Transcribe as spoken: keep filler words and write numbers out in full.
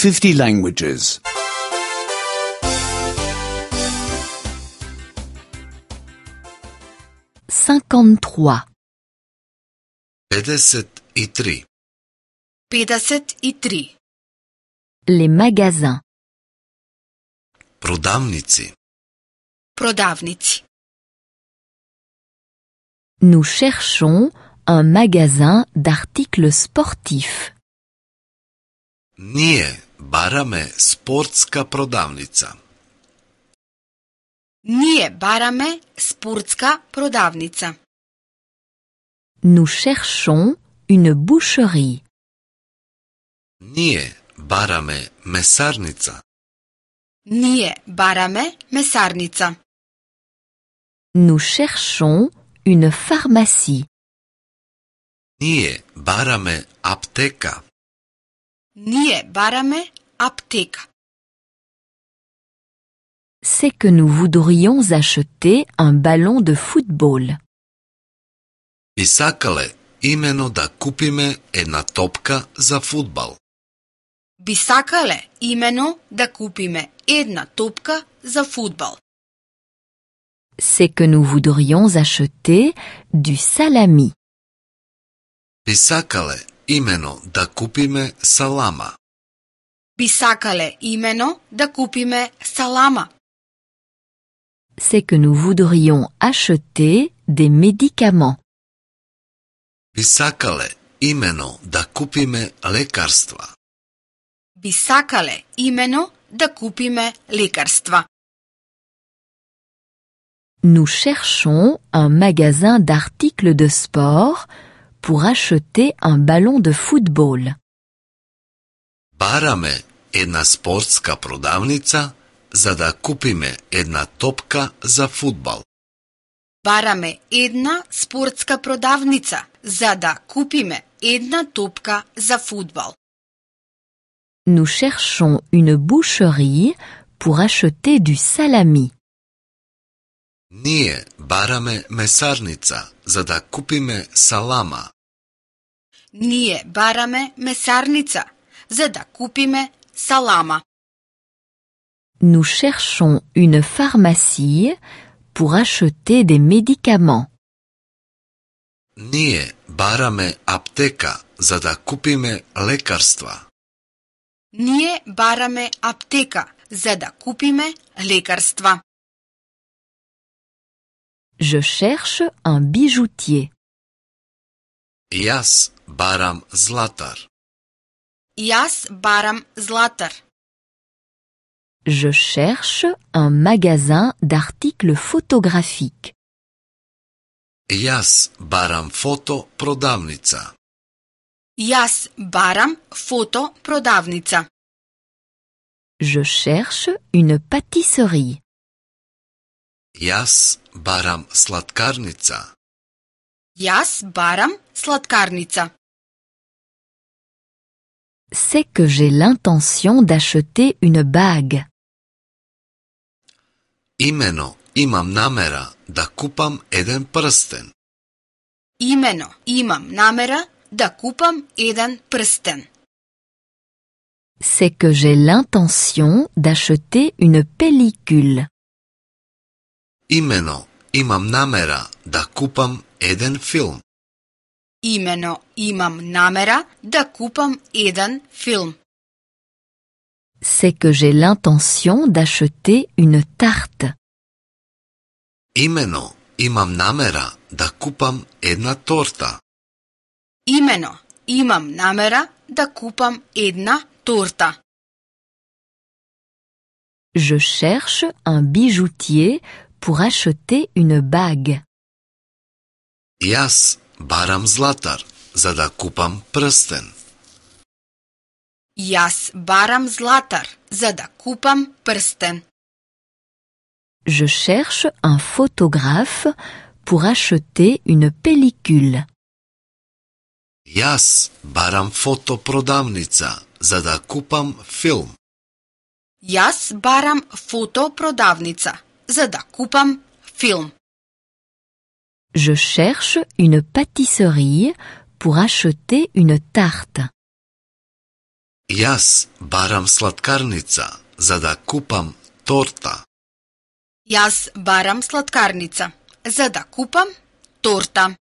fifty languages. cinquante-trois. pedeset i tri. pedeset i tri. Les magasins. Prodavnici. Prodavnici. Nous cherchons un magasin d'articles sportifs. Ние бараме спортска продавница. Ние бараме спортска продавница. Nous cherchons une boucherie. Ние бараме месарница. Ние бараме месарница. Nous cherchons une pharmacie. Ние бараме аптека. Ние бараме аптека. C'est que nous voudrions acheter un ballon de football. Би сакале имено да купиме една топка за фудбал. Би сакале имено да купиме една топка за фудбал. C'est que nous voudrions acheter du salami. Би сакале имено да купиме салама. Би сакале имено да купиме салама. C'est que nous voudrions acheter des médicaments. Би сакале имено да купиме лекарства. Би сакале имено да купиме лекарства. Nous cherchons un magasin d'articles de sport pour acheter un ballon de football. Бараме една спортска продавница за да купиме една топка за фудбал. Бараме една спортска продавница за да купиме една топка за фудбал. Nous cherchons une boucherie pour acheter du salami. Ние бараме месарница за да купиме салама. Ние бараме месарница за да купиме салама. Nous cherchons une pharmacie pour acheter des médicaments. Ние бараме аптека за да купиме лекарства. Ние бараме аптека за да купиме лекарства. Je cherche un bijoutier. Јас барам златар. Јас барам златар. Je cherche un magasin d'articles photographiques. Јас барам фото продавница. Јас барам фото продавница. Je cherche une pâtisserie. Јас барам сладкарница. Јас барам сладкарница. C'est que j'ai l'intention d'acheter une bague. Имено имам намера да купам еден прстен. Имено имам намера да купам еден прстен. C'est que j'ai l'intention d'acheter une pellicule. Имено имам намера да купам еден филм. Имено имам намера да купам еден филм. C'est que j'ai l'intention d'acheter une tarte. Имено имам намера да купам една торта. Имено имам намера да купам една торта. Je cherche un bijoutier pour acheter une bague. Јас барам златар за да купам прстен. Јас барам златар за да купам прстен. Je cherche un photographe pour acheter une pellicule. Јас барам фотопродавница за да купам филм. Јас барам фотопродавница за да купам филм. Je cherche une pâtisserie pour acheter une tarte. Јас барам сладкарница за да купам торта. Јас барам сладкарница за да купам торта.